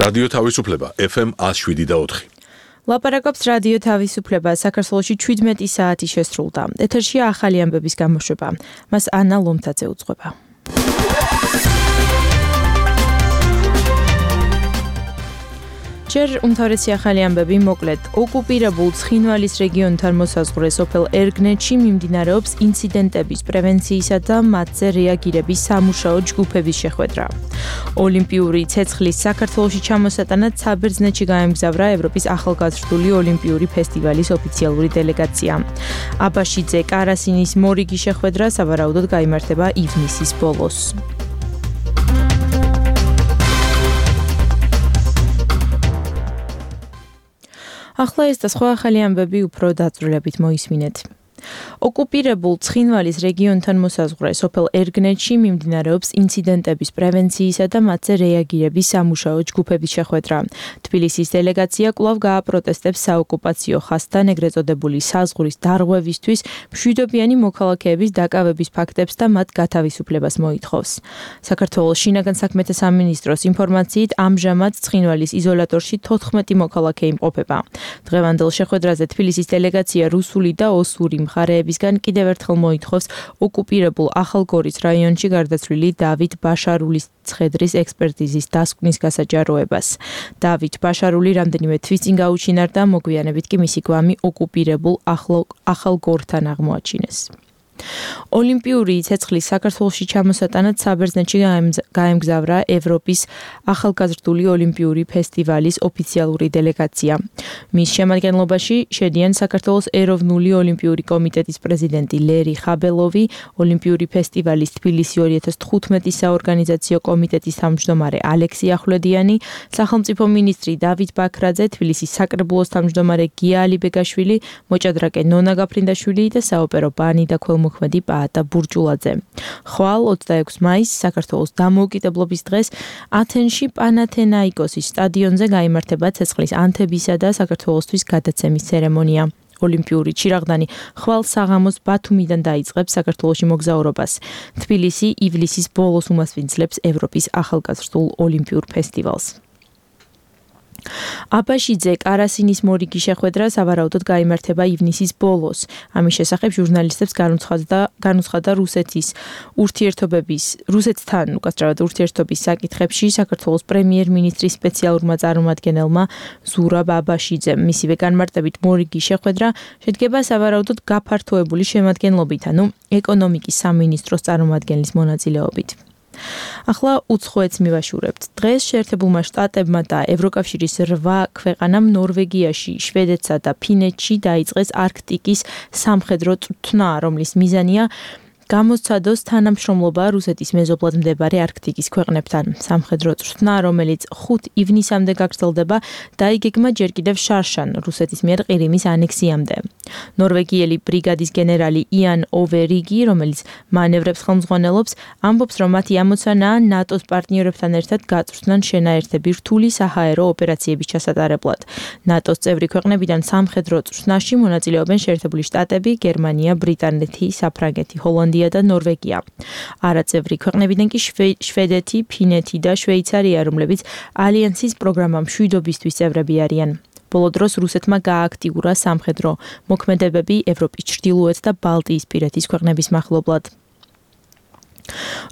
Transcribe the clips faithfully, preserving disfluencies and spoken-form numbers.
რადიო თავისუფლება ეფ ემ ათს შვიდი და ოთხი. ლაპარაკობს რადიო თავისუფლება, საქართველოში შვიდმეტი საათი შესრულდა. ეთერშია ახალი ამბების გამოშვება. მას ანა ლომთაძე უძღვება. ჯერ უმთავრესი ახალი ამბები მოკლედ. ოკუპირებულ ცხინვალის რეგიონთან მოსაზღვრე სოფელ ერგნეთში მიმდინარეობს ინციდენტების პრევენციისა და მათზე რეაგირების სამუშაო ჯგუფების შეხვედრა. ოლიმპიური ცეცხლის საქართველოში ჩამოსატანად საბერძნეთში გაემგზავრა ევროპის ახალგაზრდული ოლიმპიური ფესტივალის ოფიციალური დელეგაცია. აბაშიძე კარასინის მორიგი შეხვედრა სავარაუდოდ გაიმართება ივნისის ბოლოს. ახლა ეს და სხვა ახალი ამბები უფრო დაწვრილებით მოისმინეთ. ოკუპირებულ ცხინვალის რეგიონთან მოსაზღვრე სოფელ ერგნეთში მიმდინარეობს ინციდენტების პრევენციისა და მათზე რეაგირების სამუშაო ჯგუფების შეხვედრა. თბილისის დელეგაცია კვლავ გააპროტესტებს საოკუპაციო ხაზთან ეგრეთ წოდებული საზღვრის დარღვევისთვის მშვიდობიანი მოქალაქეების დაკავების ფაქტებს და მათ გათავისუფლებას მოითხოვს. საქართველოს შინაგან საქმეთა სამინისტროს ინფორმაციით ამჟამად ცხინვალის იზოლატორში თოთხმეტი მოქალაქე იმყოფება. დღევანდელ შეხვედრაზე თბილისის დელეგაცია რუსული და ოსური მხარეებისგან კიდევ ერთხელ მოითხოვს ოკუპირებულ ახალგორის რაიონში გარდაცვლილი დავით ბაშარულის ცხედრის ექსპერტიზის დასკვნის გასაჯაროებას. დავით ბაშარული რამდენიმე თვის წინ გაუჩინარდა, მოგვიანებით კი მისი გვამი ოკუპირებულ ახალგორთან აღმოაჩინეს. ოლიმპიური ცეცხლის საქართველოში ჩამოსატანად საბერძნეთში გაემგზავრა ევროპის ახალგაზრდული ოლიმპიური ფესტივალის ოფიციალური დელეგაცია. მის შემადგენლობაში შედიან საქართველოს ეროვნული ოლიმპიური კომიტეტის პრეზიდენტი ლერი ხაბელოვი, ოლიმპიური ფესტივალის თბილისი ორი ათას თხუთმეტი საორგანიზაციო კომიტეტის თავმჯდომარე ალექსი ახვლედიანი, სახელმწიფო მინისტრი დავით ბაქრაძე, თბილისის საკრებულოს თავმჯდომარე გია ალიბეგაშვილი, მოჭადრაკე ნონა გაფრინდაშვილი და საოპერო ბანი და მოქმედი პაატა ბურჯულაძე. ხვალ ოცდაექვსი მაისს საქართველოს დამოუკიდებლობის დღეს ათენში პანათენაიკოსის სტადიონზე გაიმართება ცეცხლის ანთებისა და საქართველოსთვის გადაცემის ცერემონია. ოლიმპიური ჩირაღდანი ხვალ საღამოს ბათუმიდან დაიწყებს საქართველოში მოგზაურობას. თბილისი ივლისის ბოლოს უმასპინძლებს ევროპის ახალგაზრდულ ოლიმპიურ ფესტივალს. აბაშიძე კარასინის მორიგი შეხვედრა სავარაუდოდ გაიმართება ივნისის ბოლოს. ამის შესახებ ჟურნალისტებს განუცხადა განუცხადა რუსეთის ურთიერთობების რუსეთთან უკაცრავად ურთიერთობის საკითხებში საქართველოს პრემიერ-მინისტრის სპეციალურმა წარმომადგენელმა ზურაბ აბაშიძემ. მისივე განმარტებით მორიგი შეხვედრა შედგება სავარაუდოდ გაფართოებული შემადგენლობით, ანუ ეკონომიკის სამინისტროს წარმომადგენლის მონაწილეობით. ახლა უცხოეთს მივაშურებთ. დღეს შეერთებულმა შტატებმა და ევროკავშირის რვა ქვეყანამ ნორვეგიაში, შვედეთსა და ფინეთში დაიწყეს არქტიკის სამხედრო წვრთნა, რომლის მიზანია გამოსცადოს თანამშრომლობა რუსეთის მეზობლად მდებარე არქტიკის ქვეყნებთან. სამხედრო წვრთნა, რომელიც ხუთი ივნისამდე გაგრძელდება, დაიგეგმა ჯერ კიდევ შარშან რუსეთის მიერ ყირიმის ანექსიამდე. ნორვეგიელი ბრიგადის გენერალი იან ოვერიგი, რომელიც მანევრებს ხელმძღვანელობს, ამბობს, რომ მათი ამოცანაა ნატოს პარტნიორებთან ერთად გაწვრთნან შენაერთები რთული საჰაერო ოპერაციების ჩასატარებლად. ნატოს წევრი ქვეყნებიდან სამხედრო წვრთნაში მონაწილეობენ შეერთებული შტატები, გერმანია, ბრიტანეთი, საფრანგეთი, ჰოლანდია და ნორვეგია. არაწევრი ქვეყნებიდან კი შვედეთი, ფინეთი და შვეიცარია, რომლებიც ალიანსის პროგრამა მშვიდობისთვის წევრები არიან. ბოლო დროს რუსეთმა გაააქტიურა სამხედრო მოქმედებები ევროპის ჩრდილოეთ და ბალტიისპირეთის ქვეყნების მახლობლად.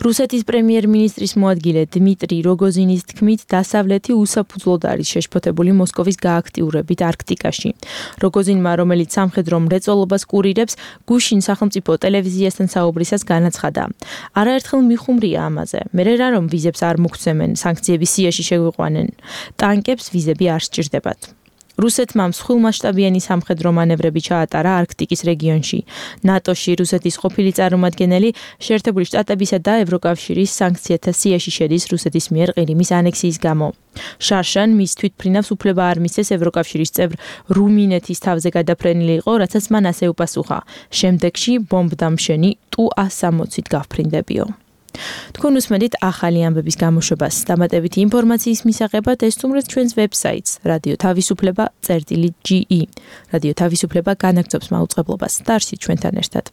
რუსეთის პრემიერ-მინისტრის მოადგილე დმიტრი როგოზინის თქმით, დასავლეთი უსაფუძვლოდ არის შეშფოთებული მოსკოვის გააქტიურებით არქტიკაში. როგოზინმა, რომელიც სამხედრო მრეწველობას კურირებს, გუშინ სახელმწიფო ტელევიზიასთან საუბრისას განაცხადა: არაერთხელ მიხუმრია ამაზე. მერე რა რომ ვიზებს არ მოგცემენ, სანქციების სიაში შეგვიყვანენ. ტანკებს ვიზები არ სჭირდებათ. რუსეთმა მსხვილმასშტაბიანი სამხედრო მანევრები ჩაატარა არქტიკის რეგიონში. ნატოში რუსეთის ყოფილი წარმომადგენელი შეერთებული შტატებისა და ევროკავშირის სანქციათა სიაში შედის რუსეთის მიერ ყირიმის ანექსიის გამო. შარშან მის თვითმფრინავს უფლება არ მისცეს ევროკავშირის წევრ რუმინეთის თავზე გადაფრენილი იყო, რაცაც მან ასე უპასუხა: შემდეგში ბომბდამშენი ტუ ას სამოცით გავფრინდებიო. თქვენ უსმენთ ახალი ამბების გამოშვებას. დამატებითი ინფორმაციის მისაღებად ესწრებთ ჩვენს ვებსაიტს რადიო თავისუფლება წერტილი ჯი ი. რადიო თავისუფლება განაგრძობს მაუწყებლობას. დარსით ჩვენთან ერთად.